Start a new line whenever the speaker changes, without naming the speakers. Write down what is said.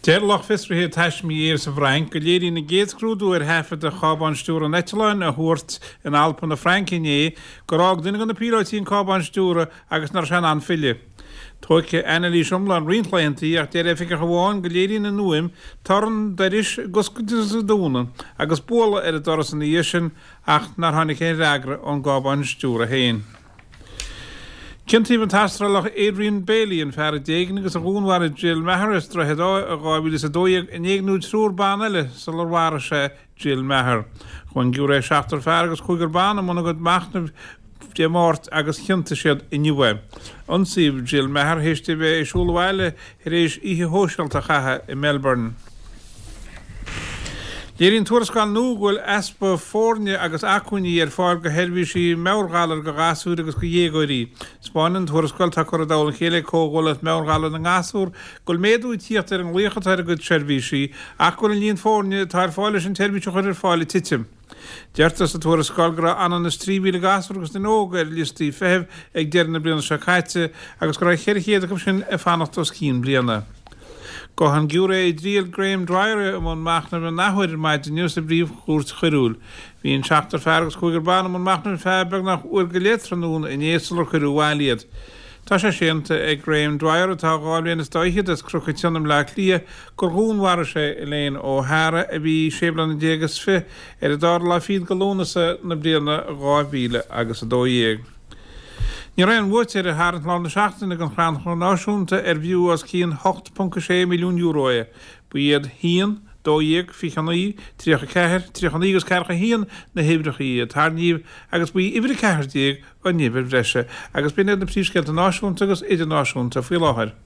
Deir lucht fiosraithe taismí aeir sa bhFrainc go léiríonn an gcéad scrúdú ar thaifead de chábán stiúrtha an eitleáin a thuairt in Alpa na Fraince inné gur fhág duine de na píolóití an cábán stiúrtha agus nach raibh sé in ann filleadh. Tógfaidh anailís iomlán roinnt laethanta ach deir oifigeach amháin go léiríonn an fhuaim torann doiris ag oscailt agus ag dúnadh agus bualadh ar an doras ina dhiaidh sin ach nár tháinig aon fhreagra ón gcábán stiúrtha féin. Ciontaíodh an tAstrálach Adrian Bailey, an fear a d'éignigh agus a dhúnmharaigh Jill Meagher as Droichead Átha i 2012, in éigniú triúr ban eile sular mharaigh sé Jill Meagher. Chuaigh an giúiré seachtar fear agus cúigear ban i mbun a gcuid machnaimh Dé Máirt agus chiontaigh siad inniu é. Ionsaíodh Jill Meagher théis di a bheith ag siúl abhaile tar éis oíche shóisialta a chaitheamh i Melbourne. Léiríonn tuarascáil nua go bhfuil easpa foirne agus acmhainní ar fáil do sheirbhísí meabhairghalair do ghasúir agus do dhéagóirí. Spáineann an tuarascáil, atá curtha i dtoll a chéile ag Comhghuaillíocht Meabhairghalair na nGasúr, go bhfuil méadú ag tíocht ar an nglaoch atá ar a gcuid seirbhísí ach go bhfuil an líon foirne atá ar fáil leis an tseirbhís a chur ar fáil ag titim. Deirtear sa tuarascáil go raibh ionann is 3,000 gasúr agus duine óg ar liostaí feithimh ag deireadh na bliana seo caite agus go raibh 400 acu sin ag fanacht os cionn bliana. Gabhfaidh an giúiré i dtriail Graham Dwyer i mbun machnaimh an athuair ar maidin inniu sa bPríomh-Chúirt Choiriúil. Bhí an seachtar fear agus cúigear ban i mbun machnaimh ar feadh beagnach uair go leith tráthnóna inné sular cuireadh abhaile iad. Tá sé séanta ag Graham Dwyer, atá dhá bhliain is dá fhichead as Cnoc an tSionna i mBleá Cliath, gur dhúnmharaigh sé Elaine O'Hara, a bhí sé bliana déag is fi, ar an dara lá fichead de Lúnasa na bliana 2012. Ní raibh aon bhuaiteoir ar tharraingt lár na seachtaine don Chrannchur Náisiúnta ar bhfiú os cionn €8.6 milliún é. Ba iad 1, 12, 29, 34, 39 agus 41 na huimhreacha a tarraingíodh agus ba í uimhir 14 an uimhir bhreise agus b'in iad na príomhscéalta náisiúnta agus idirnáisiúnta faoi láthair.